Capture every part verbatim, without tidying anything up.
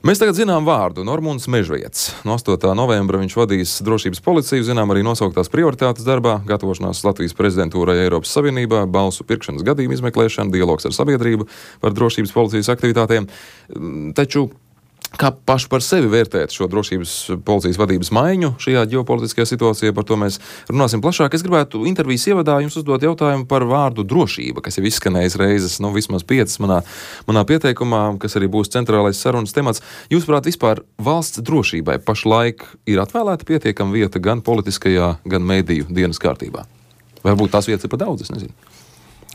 Mēs tagad zinām vārdu Normunds Mežvietis. No astotā novembra viņš vadīs drošības policiju, zinām arī nosauktās prioritātes darbā, gatavošanās Latvijas prezidentūrai Eiropas Savienībā, balsu pirkšanas gadījumu izmeklēšana, dialogs ar sabiedrību par drošības policijas aktivitātēm. Taču kā paši par sevi vērtēt šo drošības policijas vadības maiņu šajā ģeopolitiskajā situācijā, par to mēs runāsim plašāk. Es gribētu intervijas ievadā jums uzdot jautājumu par vārdu drošība, kas jau izskanējis reizes, nu vismaz piecas manā, manā pieteikumā, kas arī būs centrālais sarunas temats. Jūsuprāt, vispār valsts drošībai pašlaik ir atvēlēta pietiekama vieta gan politiskajā, gan mediju dienas kārtībā? Varbūt tās vietas ir pa daudz, es nezinu.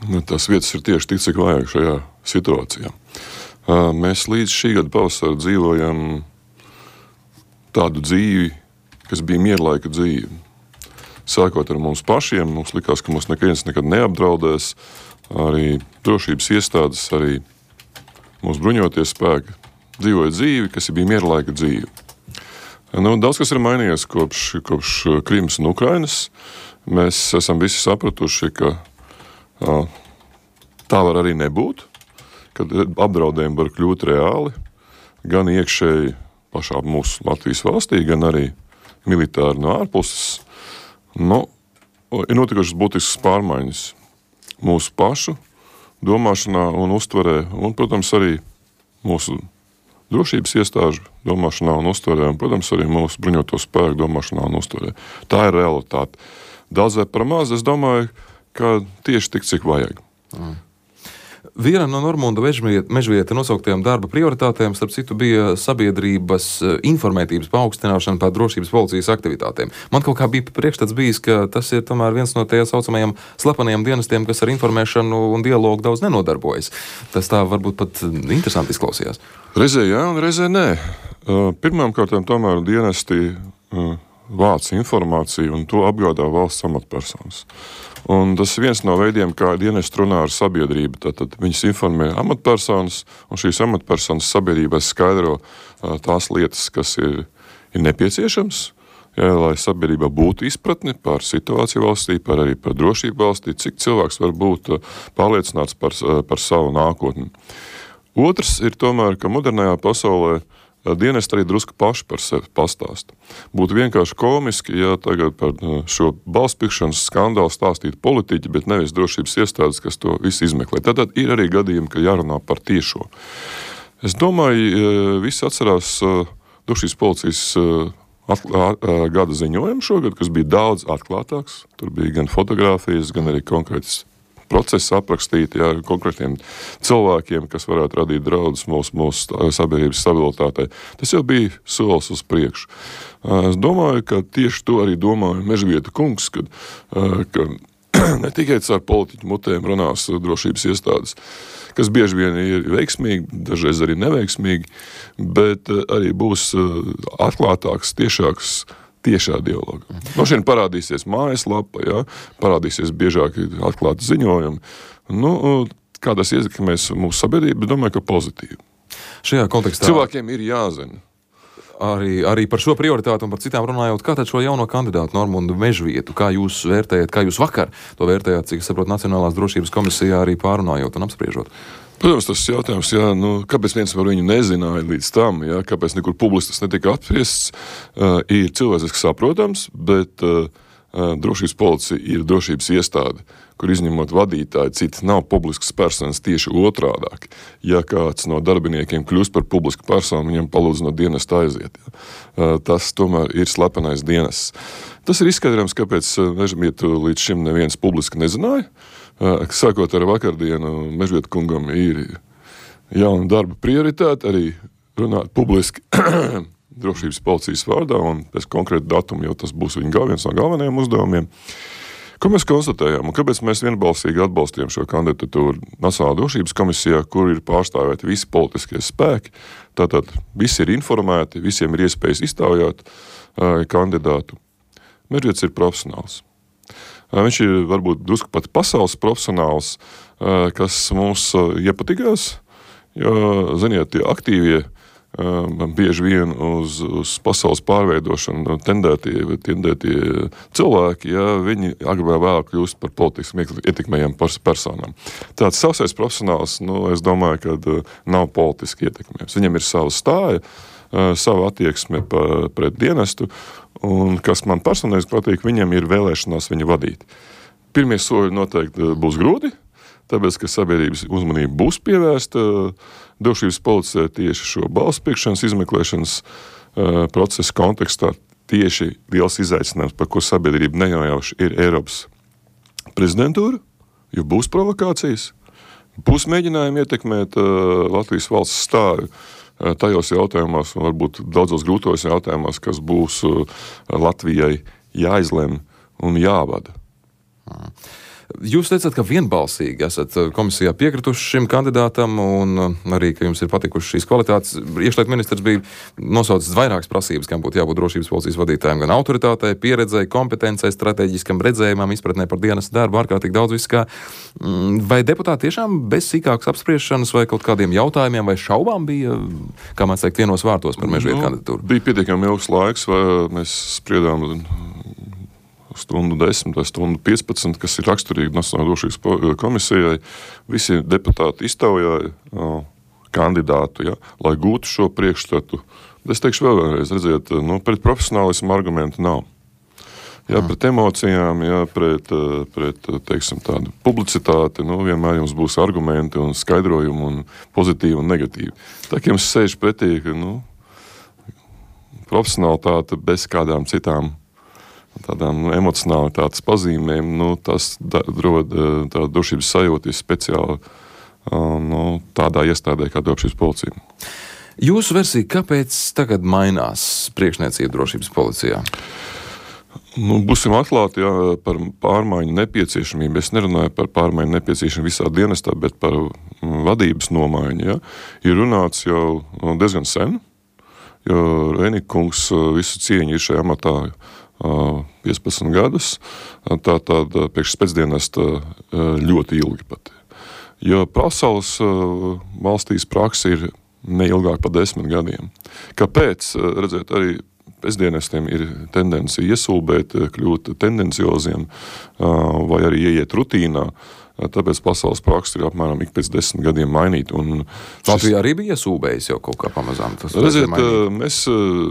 Nu, tās vietas ir tieši tik, cik vajag šajā situācijā. Mēs līdz šī gada pavasara dzīvojam tādu dzīvi, kas bija mierlaika dzīve. Sākot ar mums pašiem, mums likās, ka mums neviens nekad neapdraudēs, arī drošības iestādes, arī mūsu bruņoties spēki dzīvoja dzīvi, kas bija mierlaika dzīve. Nu, daudz kas ir mainījies kopš, kopš Krimas un Ukrainas. Mēs esam visi sapratuši, ka tā var arī nebūt, kad apdraudējumi var kļūt reāli, gan iekšēji pašā mūsu Latvijas valstī, gan arī militāri no ārpuses. Nu, ir notikušas būtiskas pārmaiņas mūsu pašu domāšanā un uztverē, un, protams, arī mūsu drošības iestāžu domāšanā un uztverē, un, protams, arī mūsu bruņoto spēku domāšanā un uztverē. Tā ir realitāte. Daudz vai par maz, es domāju, ka tieši tik, cik vajag. Mm. Viena no Normunda Mežvieta nosauktajām darba prioritātēm, starp citu, bija sabiedrības informētības paaugstināšana par drošības policijas aktivitātēm. Man kaut kā bija priekšstats bijis, ka tas ir tomēr viens no tajā saucamajiem slepenajiem dienestiem, kas ar informēšanu un dialogu daudz nenodarbojas. Tas tā varbūt pat interesanti izklausījās. Reizē jā un reizē nē. Pirmām kārtām tomēr dienesti vāc informāciju un to apgādā valsts amatpersonas. Un tas ir viens no veidiem, kā dienesti runā ar sabiedrību. Tātad viņas informē amatpersonas, un šīs amatpersonas sabiedrībai skaidro uh, tās lietas, kas ir, ir nepieciešams, ja, lai sabiedrībā būtu izpratni par situāciju valstī, par arī par drošību valstī, cik cilvēks var būt uh, pārliecināts par, uh, par savu nākotni. Otrs ir tomēr, ka modernajā pasaulē dienesti arī drusku paši par sevi pastāst. Būtu vienkārši komiski, ja tagad par šo balspirkšanas skandālu stāstītu politiķi, bet nevis drošības iestādes, kas to visu izmeklē. Tātad ir arī gadījumi, ka jārunā par tiešo. Es domāju, visi atcerās drošības policijas gada ziņojumu šogad, kas bija daudz atklātāks. Tur bija gan fotogrāfijas, gan arī konkrētas procesi aprakstīti, jā, konkrētiem cilvēkiem, kas varētu radīt draudus mūsu, mūsu sabiedrības stabilitātei. Tas jau bija solis uz priekšu. Es domāju, ka tieši to arī domāja Mežvieta kungs, kad, ka ne tikai caur politiķu mutēm runās drošības iestādes, kas bieži vien ir veiksmīgi, dažreiz arī neveiksmīgi, bet arī būs atklātāks, tiešāks tiešā dialoga. No šeit parādīsies mājaslapa, jā, parādīsies biežāk atklāti ziņojumi. Nu, kā tas ietekmēs mūsu sabiedrību, domāju, ka pozitīvi. Šajā kontekstā cilvēkiem ir jāzina. Arī, arī par šo prioritātu un par citām runājot, kā tad šo jauno kandidātu Normundu Mežvietu, kā jūs vērtējat, kā jūs vakar to vērtējāt, cik es saprotu, Nacionālās drošības komisijā arī pārunājot un apspriežot? Protams, tas jautājums, jā, nu, kāpēc viens par viņu nezināja līdz tam, jā, kāpēc nekur publiski tas netika apspriests, uh, ir cilvēciski saprotams, bet uh, uh, drošības policija ir drošības iestāde, kur izņemot vadītāji, citi nav publiskas personas, tieši otrādāk. Ja kāds no darbiniekiem kļūst par publisku personu, viņam palūdz no dienesta aiziet. Jā. Uh, tas tomēr ir slepenais dienests. Tas ir izskaidrojams, kāpēc Mežvietu līdz šim neviens publiski nezināja. Sākot ar vakardienu, Mežvieta kungam ir jauna darba prioritāte, arī runāt publiski drošības policijas vārdā, un pēc konkrēta datuma jau tas būs viņa viens no galvenajiem uzdevumiem. Ko mēs konstatējām, un kāpēc mēs vienbalsīgi atbalstījām šo kandidatūru Nacionālā drošības komisijā, kur ir pārstāvēti visi politiskie spēki, tātad visi ir informēti, visiem ir iespējas iztaujāt uh, kandidātu. Mežvietis ir profesionāls. Viņš ir varbūt drusku pat pasaules profesionāls, kas mums iepatikās, jo, ziniet, tie aktīvie bieži vien uz, uz pasaules pārveidošanu tendētie, tendētie cilvēki, ja viņi agrāk vai vēlāk kļūst par politiski ietekmējām personām. Tāds savsais profesionāls, nu, es domāju, ka nav politiski ietekmējams. Viņam ir sava stāja, sava attieksme pret dienestu, un kas man personīgi patīk, viņam ir vēlēšanās viņu vadīt. Pirmie soļi noteikti būs grūti, tāpēc, ka sabiedrības uzmanība būs pievērsta drošības policijai tieši šo balsu pirkšanas izmeklēšanas uh, procesa kontekstā. Tieši liels izaicinājums, par ko sabiedrība nejauši ir Eiropas prezidentūra, jo būs provokācijas, būs mēģinājumi ietekmēt uh, Latvijas valsts stāju uh, tajos jautājumos, un varbūt daudzos grūtos jautājumos, kas būs uh, Latvijai jāizlem un jāvada. Mm. Jūs teicat, ka vienbalsīgi esat komisijā piekrituši šim kandidātam un arī, ka jums ir patikuši šīs kvalitātes. Iekšlietu ministrs bija nosaucis vairākas prasības, kam būtu jābūt drošības policijas vadītājiem, gan autoritātei, pieredzei, kompetencei, strateģiskam redzējumam, izpratnē par dienas darbu, ārkārtīgi daudz viss kā. Vai deputāti tiešām bez sīkākas apspriešanas vai kaut kādiem jautājumiem vai šaubām bija, kā man teikt, vienos vārtos par Mežvietu nu, kandidatūru? Bija pietiekami ilgs laiks, vai mēs spriedām stundu desmit vai stundu piecpadsmit, kas ir raksturīgi Nacionālajai drošības komisijai. Visi deputāti iztaujāja o, kandidātu, ja, lai gūtu šo priekšstatu. Es teikšu vēl vienreiz, redziet, nu, pret profesionālismu argumentu nav. Ja, pret emocijām, ja, pret, pret, teiksim, tādu publicitāti, nu, vienmēr jums būs argumenti un skaidrojumi un pozitīvi un negatīvi. Tā, ka jums sēž pretī, ka, nu, profesionālitāte bez kādām citām tādām emocionālitātes pazīmēm, nu, tas da, rod tādu drošības sajūtu speciāli nu, tādā iestādē kā drošības policija. Jūsu versija, kāpēc tagad mainās priekšniecība drošības policijā? Nu, būsim atklāti, jā, par pārmaiņu nepieciešamību. Es nerunāju par pārmaiņu nepieciešamību visā dienestā, bet par vadības nomaiņu. Jā. Ir runāts jau diezgan sen, jo Reinika kungs visu cieņu ir šajā amatā piecpadsmit gadus, tā tāda priekš spēcdienesta ļoti ilgi pat. Jo pasaules valstīs praksa ir neilgāk par desmit gadiem. Kāpēc? Redzēt, arī pēcdienestiem ir tendence iesulbēt, kļūt tendencioziem vai arī ieiet rutīnā. Tāpēc pasaules praksa ir apmēram ik pēc desmit gadiem mainīt. Un Latvijā šis... arī bija iesūbējis jau kaut kā pamazām. Tas redziet, mēs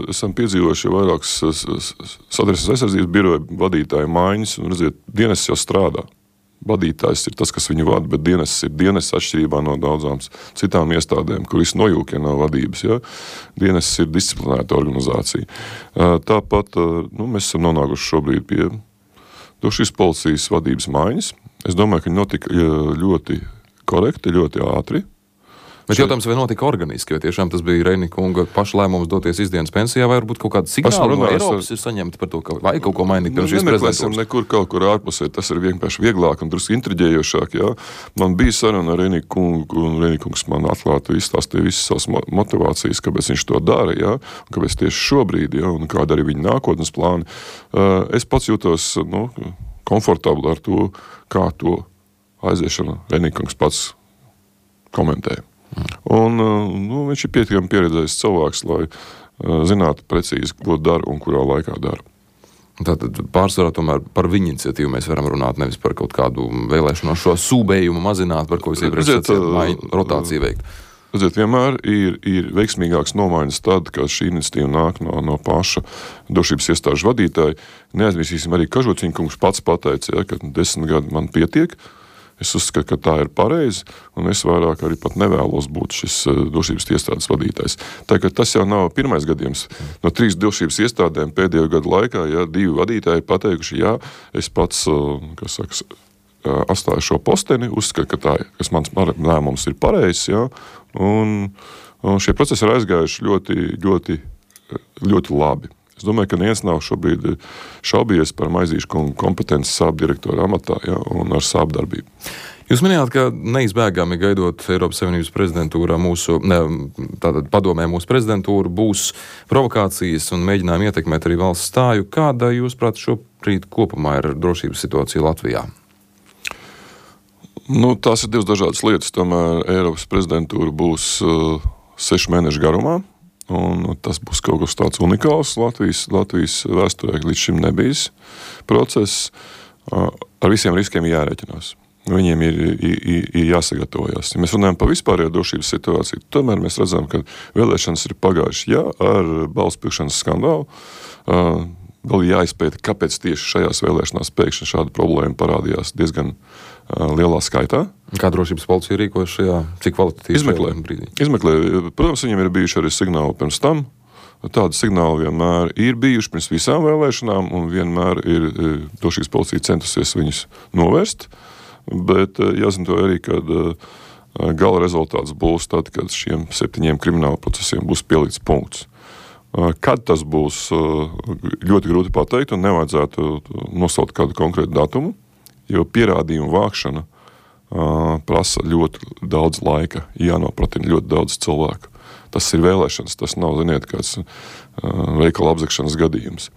esam piedzīvojuši vairākas Satversmes aizsardzības biroja vadītāju maiņas, un redziet, dienests jau strādā. Vadītājs ir tas, kas viņu vada, bet dienests ir dienests atšķirībā no daudzām citām iestādēm, kur viss nojūkie no vadības. Ja? Dienests ir disciplinēta organizācija. Tāpat nu, mēs esam nonākuši šobrīd pie drošības policijas vadības maiņas. Es domāju, ka viņi notika ļoti korekti, ļoti ātri. Bet jautājums, vai notika organiski, vai tiešām tas bija Reinika kunga paša lēmums doties izdienas pensijā, vai varbūt kaut kāda signāla no Eiropas ar... ir saņemta par to, ka vajag kaut ko mainīt pirms šīs prezidentūras? Nemeklēsim nekur kaut kur ārpusē, tas ir vienkārši vieglāk un drusku intriģējošāk. Jā. Man bija saruna ar Reinika kungu, un Reinika kungs man atklāti izstāstīja visas savas motivācijas, kāpēc viņš to dara, jā, un kāpēc tieši šobrīd, jā, un kāda arī viņa nākotnes plāni. Es pats jūtos, nu, komfortabli ar to, kā to aiziešanu Reinika kungs pats komentēja. Un, nu, viņš ir pietiekami pieredzējis cilvēks, lai uh, zinātu precīzi, ko dara un kurā laikā dara. Tātad pārsvarā tomēr par viņu iniciatīvu mēs varam runāt, nevis par kaut kādu vēlēšanos šo sūbējumu mazināt, par ko jūs iepriekš sacījāt, rotāciju veikt. Redziet, vienmēr ir, ir veiksmīgāks nomaiņas tad, kad šī iniciatīva nāk no, no paša drošības iestāžu vadītāja. Neaizmirsīsim arī Kažociņa kungs pats pateica, ja, ka desmit gadi man pietiek. Es uzskatu, ka tā ir pareizi, un es vairāk arī pat nevēlos būt šis drošības iestādes vadītājs. Tā kā tas jau nav pirmais gadījums. No trīs drošības iestādēm pēdējo gadu laikā, ja divi vadītāji pateikuši, jā, es pats, kas saka, atstāju šo posteni, uzskatu, ka tā, kas mans lēmums ir pareizs, jā, un, un šie procesi ir aizgājuši ļoti, ļoti, ļoti labi. Es domāju, ka neviens nav šobrīd šaubies par Maizīšu kungu kompetenci sāp direktora amatā, ja, un ar sāp darbību. Jūs minējāt, ka neizbēgami gaidot Eiropas Savienības prezidentūrā mūsu, ne, tātad padomē mūsu prezidentūru, būs provokācijas un mēģinājumi ietekmēt arī valsts stāju. Kāda, jūs prāt, šobrīd kopumā ir drošības situācija Latvijā? Nu, tās ir divas dažādas lietas. Tomēr Eiropas prezidentūra būs uh, sešu mēnešu garumā. Un tas būs kaut kas tāds unikāls Latvijas, Latvijas vēsturē, līdz šim nebijis process. Ar visiem riskiem jārēķinās. Viņiem ir, ir, ir jāsagatavojas. Ja mēs runājam par vispārējo drošības situāciju, tomēr mēs redzam, ka vēlēšanas ir pagājušas. Jā, ar balsu pirkšanas skandālu. Vēl jāizpēta, kāpēc tieši šajās vēlēšanās pēkšņi šāda problēma parādījās diezgan lielā skaitā. Kā drošības policija rīkojas šajā, cik kvalitatīvi Izmeklē. brīdī? Izmeklē. Protams, viņiem ir bijuši arī signāli pirms tam. Tādi signāli vienmēr ir bijuši pirms visām vēlēšanām, un vienmēr ir drošības policija centusies viņus novērst. Bet jāzina to arī, kad gala rezultāts būs tad, kad šiem septiņiem krimināla procesiem būs pielīdz punkts. Kad tas būs, ļoti grūti pateikt, un nevajadzētu nosaukt kādu konkrētu datumu, jo pierādījumu vākšana prasa ļoti daudz laika, jānopratina ļoti daudz cilvēku. Tas ir vēlēšanas, tas nav, ziniet, kāds veikala apzakšanas gadījums.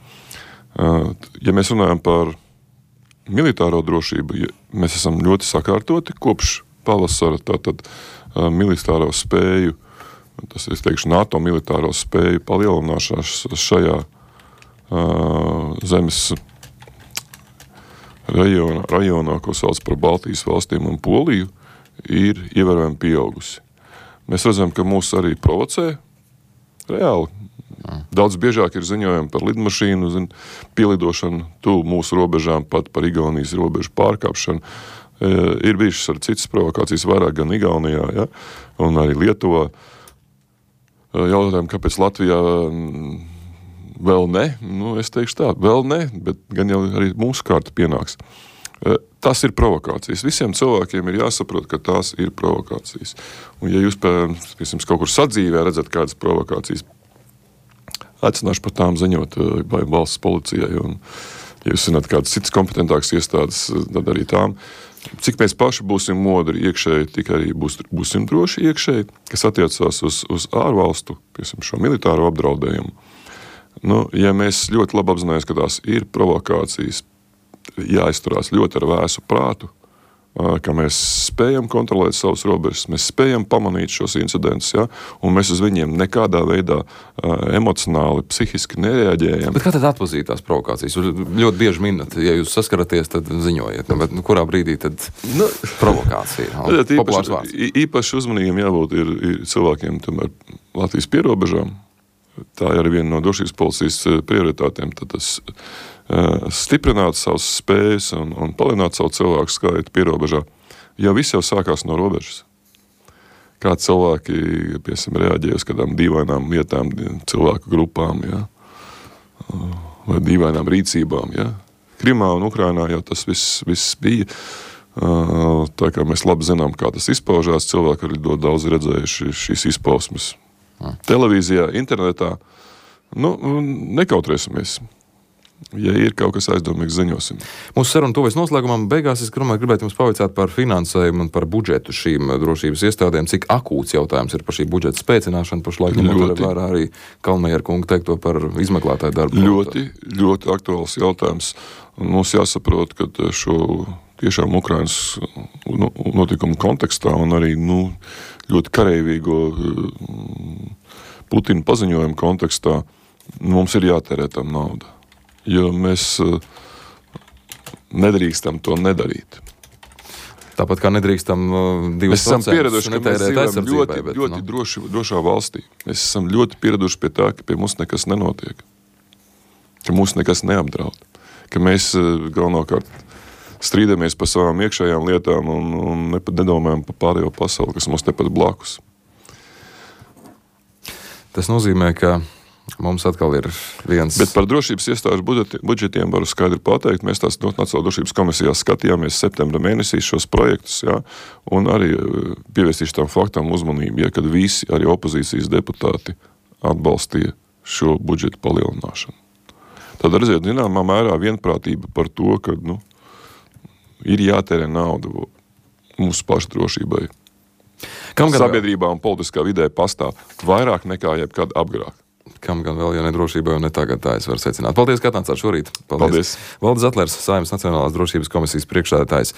Ja mēs runājam par militāro drošību, mēs esam ļoti sakārtoti kopš pavasara, tātad militāro spēju, tas es teikšu NATO militāro spēju palielināšanās šajā zemes rajonā, rajonā, ko sauc par Baltijas valstīm un Poliju, ir ievērojami pieaugusi. Mēs redzam, ka mūs arī provocē reāli. Daudz biežāk ir ziņojumi par lidmašīnu, zin, pielidošanu tuvu mūsu robežām, pat par Igaunijas robežu pārkāpšanu. E, ir bijušas arī citas provokācijas, vairāk gan Igaunijā, ja, un arī Lietuvā. E, jautājumi, kāpēc Latvijā vēl ne? Nu, es teikšu tā, vēl ne, bet gan jau arī mūsu kārta pienāks. E, Tas ir provokācijas. Visiem cilvēkiem ir jāsaprot, ka tās ir provokācijas. Un ja jūs, piemēram, kaut kur sadzīvē redzat kādas provokācijas, aicināšu par tām ziņot vai valsts policijai. Un, ja jūs zināt kādas citas kompetentākas iestādes, tad arī tām. Cik mēs paši būsim modri iekšēji, tik arī būs, būsim droši iekšēji, kas attiecās uz, uz ārvalstu, piemēram, šo militāro apdraudējumu. Nu, ja mēs ļoti labi apzināmies, ka tās ir provokācijas, jāizturās ļoti ar vēsu prātu, ka mēs spējam kontrolēt savus robežas, mēs spējam pamanīt šos incidentus, ja, un mēs uz viņiem nekādā veidā emocionāli, psihiski nereaģējam. Bet kā tad atpazīt tās provokācijas? Ļoti bieži minat, ja jūs saskaraties, tad ziņojiet, nu, bet nu, kurā brīdī tad nu, provokācija? Nu, populārs vārds. Īpaši uzmanīgiem jābūt ir, ir cilvēkiem tomēr Latvijas pierobežām. Tā ir viena no drošības policijas prioritātēm, tad tas uh, stiprināt savas spējas un, un palielināt savu cilvēku skaitu pierobežā. Jo viss jau sākās no robežas. Kā cilvēki, piemēram, reaģēja uz kādām dīvainām lietām, cilvēku grupām, ja? Vai dīvainām rīcībām. Ja? Krimā un Ukrainā jau tas viss, viss bija. Uh, tā kā mēs labi zinām, kā tas izpaužās, cilvēki arī ļoti daudz redzējuši šīs izpausmes. Televīzijā, internetā, nu, nekautrēsimies. Ja ir kaut kas aizdomīgs, ziņosim. Mūsu saruna tuvojas noslēgumam. Beigās es gribētu jums pavaicāt par finansējumu un par budžetu šīm drošības iestādēm. Cik akūts jautājums ir par šī budžeta spēcināšanu pašlaik, ņemot vērā arī Kalnmajera kunga teikto par izmeklētāju darbu. Ļoti, ļoti aktuāls jautājums. Mums jāsaprot, ka šo tiešām Ukrainas notikumu kontekstā un arī, nu, ļoti kareivīgo Putina paziņojumu kontekstā mums ir jātērē tam nauda. Jo mēs nedrīkstam to nedarīt. Tāpat kā nedrīkstam divus procentus netērēt aizsardzībai. Mēs esam pieraduši, ka mēs dzīvojam ļoti, bet, ļoti nu. droši, drošā valstī. Mēs esam ļoti pieraduši pie tā, ka pie mums nekas nenotiek. Ka mūs nekas neapdraud. Ka mēs galvenokārt strīdamies par savām iekšējām lietām un, un nedomājam par pārējo pasauli, kas mums tepat blakus. Tas nozīmē, ka mums atkal ir viens... Bet par drošības iestāžu budžetiem varu skaidri pateikt. Mēs tās Nacionālās drošības komisijā skatījāmies septembra mēnesī šos projektus, jā, un arī pievērstīšu tam faktam uzmanību, ja, kad visi arī opozīcijas deputāti atbalstīja šo budžetu palielināšanu. Tad redziet, zināmā mērā vienprātība par to, ka, nu, ir jātērē nauda mūsu pašu drošībai. Kam gan sabiedrībā vēl? Un politiskā vidē pastāv vairāk nekā jebkad apgrāk. Kam gan vēl, ja ne drošībai, un ne tagad, tā es varu secināt. Paldies, ka atnācāt šorīt. Paldies. Paldies. Valdis Zatlers, Saeimas Nacionālās drošības komisijas priekšsēdētājs.